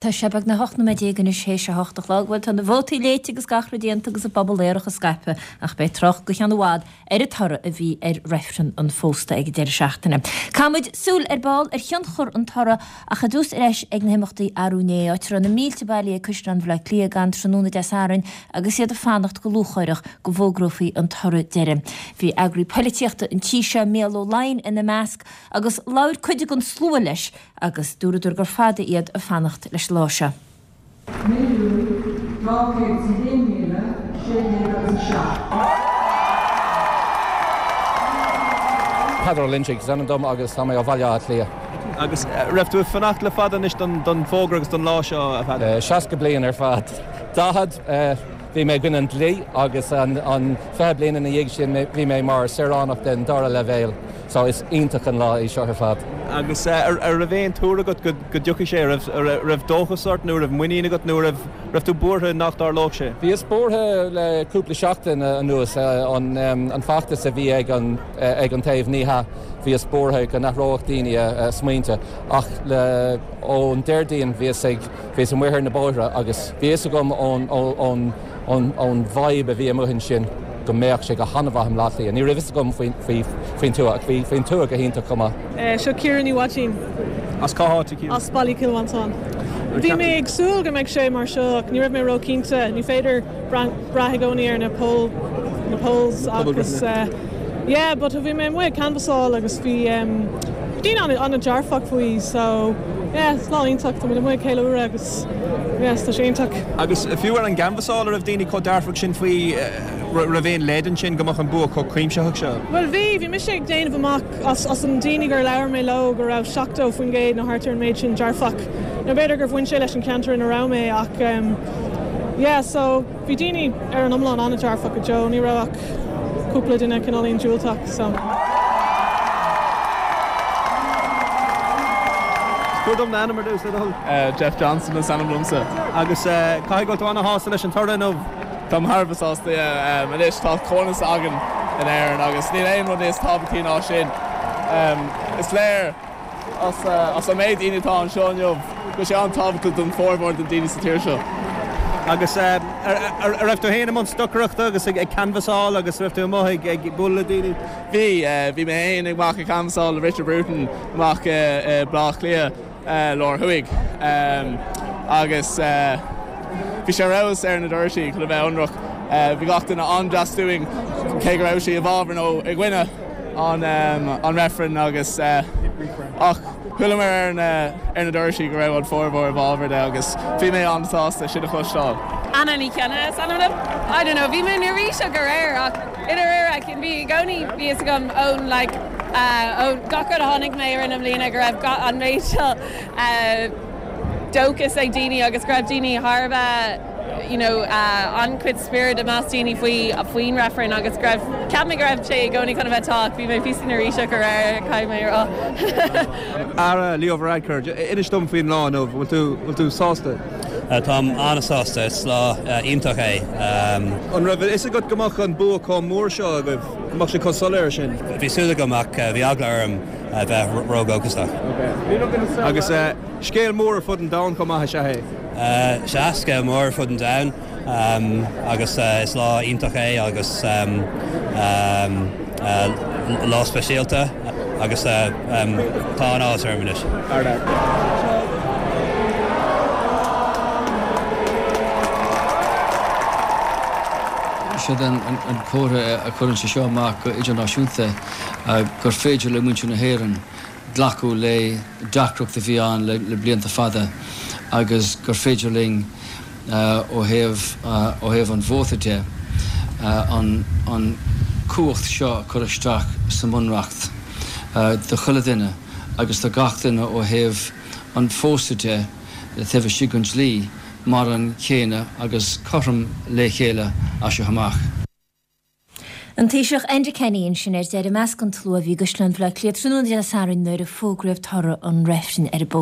Tá sé beagnach 18 nóiméad anois théis a hocht a chlog. Bhuel, tá na vótaí léite agus gach rud déanta agus an puball aerach scaipthe, ach beidh trácht go ceann i bhfad ar an toradh a bhí ar reifreann an phósta ag an deireadh seachtaine. Caithfimid súil ar ball ar thionchar an toraidh ach ar dtús ar ais ag na himeachtaí arú inné, áit a raibh na mílte bailithe ag Caisleán Bhaile Átha Cliath gan tráthnóna Dé Sathairn agus iad ag fanacht go lúcháireach go bhfógrófaí an toradh deiridh. Bhí eagraí poilitíochta an tí seo, Mícheál Ó Laighin ina measc agus labhair cuid den slua leis Agus dúradar gur fada iad ag fanacht leis an lá seo. 1,201,607. Peadar Ó Loinsigh is ainm dom agus tá mé ó Bhaile Átha Cliath. Agus raibh tú ag fanacht le fada anois don bhfógra agus don lá seo, a Pheadair? 60 bliain ar fad. 40, bhí mé i gcoinne an dlí agus an 20 bliain ina dhiaidh sin bhí mé mar saoránach den dara leibhéal. So is iontach an lá é seo ar fad. Agus an raibh aon tuar agat go dtiocfaidh sé? An raibh dóchas ort nó an raibh muinín agat nó an raibh tú buartha nach dtarlódh sé? Bhíos buartha le cúpla seachtain anuas. An feachtas a bhí ag an ag an taobh ní hea, bhíos buartha go n-athródh daoine a smaointe. Ach le ón Déardaoin bhíos ag bhíos amuigh ar na bóithre agus bhí fhios agam ón ón ón vibe a bhí amuigh ansin go mbeadh sé go han-mhaith i mBleá Cliath. Ní raibh fhios agam faoin tuath ach bhí faoin tuath go hiontach chomh maith. Seo Ciara Ní Mhaidín. As cá háit a Ciara? As Baile Chill Mhantáin. Bhí mé ag súil go mbeidh sé mar seo ach ní raibh mé ró-chinnte. Ní féidir brath i gcónaí ar na poll, na polls agus yeah but bhí mé amuigh ag canbhasáil agus bhí daoine an-dearfach faoi so yeah is lá iontach, tá muid amuigh ag ceiliúradh agus yes tá sé iontach. Agus fiú ar an gcanbhasáil a raibh daoine chomh dearfach sin faoi, raibh aon leid ansin go mbeadh an bua chomh cuimsitheach seo? Bhuel bhí, bhí mise ag déanamh amach as as an daoine gur labhair mé leo go raibh 70% nó thart ar an méid sin dearfach. Nó b'fhéidir gur bhain sé leis an ceantar ina raibh mé ach yeah so bhí daoine ar an iomlán an-dearfach go deo, ní raibh ach cúpla duine cineáilín diúltach so. Tabhair dom d'ainm ar dtús, le do thoil. Jeff Johnson is ainm domsa. Agus caithfidh go bhfuil tú ana-shásta leis an toradh inniu? Táim thar a bheith sásta, yeah. Anois tá comhionannas againn in Éirinn agus níl aon rud níos tábhachtaí ná sin. Is léir as an méid daoine atá anseo inniu go bhfuil sé an-tábhachtach don formhór den daoine sa tír seo. Agus an raibh tú féin i mbun stocaireachta agus ag canbhasáil agus raibh tú amuigh ag bualadh le daoine? Bhí, bhí mé féin amach ag canbhasáil le Richard Bruton amach i Baile Átha Cliath Lár Thuaidh agus bhí sé ar fheabhas ar na doirsí chun a bheith ionraic. Bhí gach duine an-deas dúinn cé go raibh siad i bhfabhar nó i gcoinne an reifrinn agus ach chualamar ar na ar na doirsí go raibh an formhór i bhfabhar de agus bhí mé an-sásta sin a chloisteáil. Anna Ní Cionnaith is ainm liom. I don't know, bhí mé neirbhíseach aréir ach i ndáiríre bhí i gcónaí bhí fhios agam ón like ón gach rud a chonaic mé i rith na mbliana go raibh an méid seo dóchas ag daoine agus go raibh daoine thar a bheith you know an-chuid spiorad i measc daoine faoi faoin reifreann agus go raibh, cheap mé go raibh sé i gcónaí chun a bheith tá ach bhí mé píosa neirbhíseach aréir caithfidh mé a rá. Ara, Leo Varadkar, inis dom faoin lá inniu, bhfuil tú, bhfuil tú sásta? Táim an-sásta, is lá iontach é. An raibh a fhios agat go mbeadh an bua chomh mór seo agaibh, go mbeadh sé chomh soiléir sin? Bhí súil agam ach bhí eagla orm a bheith ródhóchasach. Agus scéal mór ar fud an domhain chomh maith is ea é? Sea, scéal mór ar fud an domhain agus is lá iontach é agus lá speisialta agus tá an-áthas orm anois. Siod an comhartha a chuireann sé seo amach go idirnáisiúnta gur féidir le muintir na hÉireann glacadh le deacracht a bhí ann le blianta fada agus gur féidir linn ó thaobh ó thaobh an vóta de an an cumhacht seo a chur isteach sa mBunreacht do chuile dhuine agus do gach duine ó thaobh an phósadh de taobh istigh den dlí mar an chéanna agus cothrom le chéile as seo amach. An Taoiseach Enda Kenny ansin ar deireadh i measc an tslua a bhí i gCaisleán Bhaile Átha Cliath tráthnóna Dé Sathairn nuair a fógraíodh toradh an reifrinn ar an bpósadh.